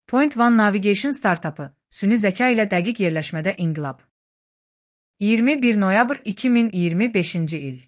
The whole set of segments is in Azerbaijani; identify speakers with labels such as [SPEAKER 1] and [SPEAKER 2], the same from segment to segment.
[SPEAKER 1] Point One Navigation startapı, süni zeka ilə dəqiq yerləşmədə inqilab. 21 noyabr 2025-ci il.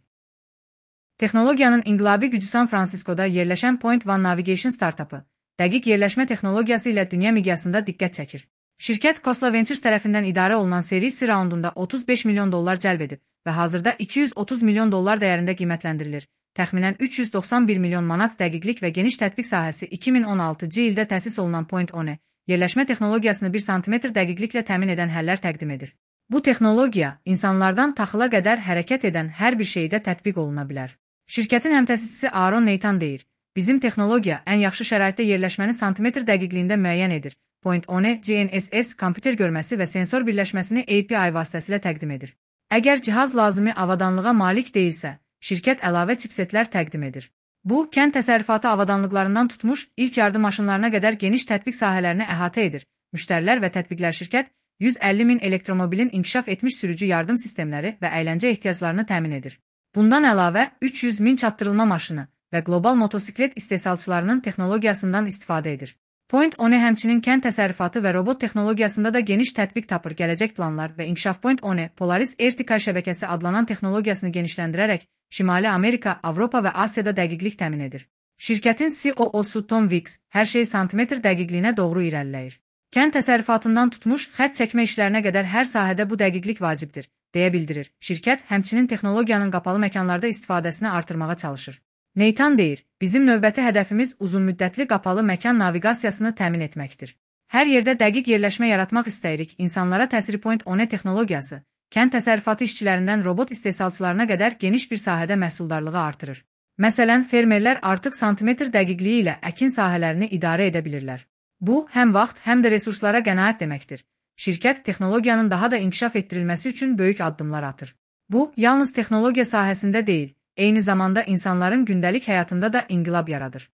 [SPEAKER 1] Texnologiyanın inqilabi gücü San Fransiskoda yerləşən Point One Navigation startapı, dəqiq yerləşmə texnologiyası ilə dünya miqyasında diqqət çəkir. Şirkət Khosla Ventures tərəfindən idarə olunan Series C raundunda $35 milyon cəlb edib və hazırda $230 milyon dəyərində qiymətləndirilir. Təxminən 391 milyon manat dəqiqlik və geniş tətbiq sahəsi 2016-cı ildə təsis olunan Point One, yerləşmə texnologiyasını 1 sm dəqiqliklə təmin edən həllər təqdim edir. Bu texnologiya, insanlardan taxıla qədər hərəkət edən hər bir şeydə tətbiq oluna bilər. Şirkətin həmtəsisçisi Aaron Nathan deyir, bizim texnologiya ən yaxşı şəraitdə yerləşməni santimetr dəqiqliyində müəyyən edir. Point One, GNSS, kompüter görməsi və sensor birləşməsini API vasitəsilə təqdim edir. Əgər cihaz lazımi avadanlığa malik deyilsə, şirkət əlavə chipsetlər təqdim edir. Bu, kənd təsərrüfatı avadanlıqlarından tutmuş ilk yardım maşınlarına qədər geniş tətbiq sahələrini əhatə edir. Müştərilər və tətbiqlər şirkət 150 min elektromobilin inkişaf etmiş sürücü yardım sistemləri və əyləncə ehtiyaclarını təmin edir. Bundan əlavə 300 min çatdırılma maşını və qlobal motosiklet istehsalçılarının texnologiyasından istifadə edir. Point One həmçinin kənd təsərrüfatı və robot texnologiyasında da geniş tətbiq tapır. Gələcək planlar və inkişaf Point One, Polaris Ertical şəbəkəsi adlanan texnologiyasını genişləndirərək Şimali Amerika, Avropa və Asiyada dəqiqlik təmin edir. Şirkətin CEO-su Tom Weeks hər şey santimetr dəqiqliyinə doğru irəliləyir. Kənd təsərrüfatından tutmuş xətt çəkmə işlərinə qədər hər sahədə bu dəqiqlik vacibdir, deyə bildirir. Şirkət həmçinin texnologiyanın qapalı məkanlarda istifadəsini artırmağa çalışır. Nathan deyir, bizim növbəti hədəfimiz uzunmüddətli qapalı məkan naviqasiyasını təmin etməkdir. Hər yerdə dəqiq yerləşmə yaratmaq istəyirik. İnsanlara təsiri Point One texnologiyası, kənd təsərrüfatı işçilərindən robot istehsalçılarına qədər geniş bir sahədə məhsuldarlığı artırır. Məsələn, fermerlər artıq santimetr dəqiqliyi ilə əkin sahələrini idarə edə bilirlər. Bu, həm vaxt, həm də resurslara qənaət deməkdir. Şirkət texnologiyanın daha da inkişaf etdirilməsi üçün böyük addımlar atır. Bu, yalnız texnologiya sahəsində deyil, eyni zamanda insanların gündəlik həyatında da inqilab yaradır.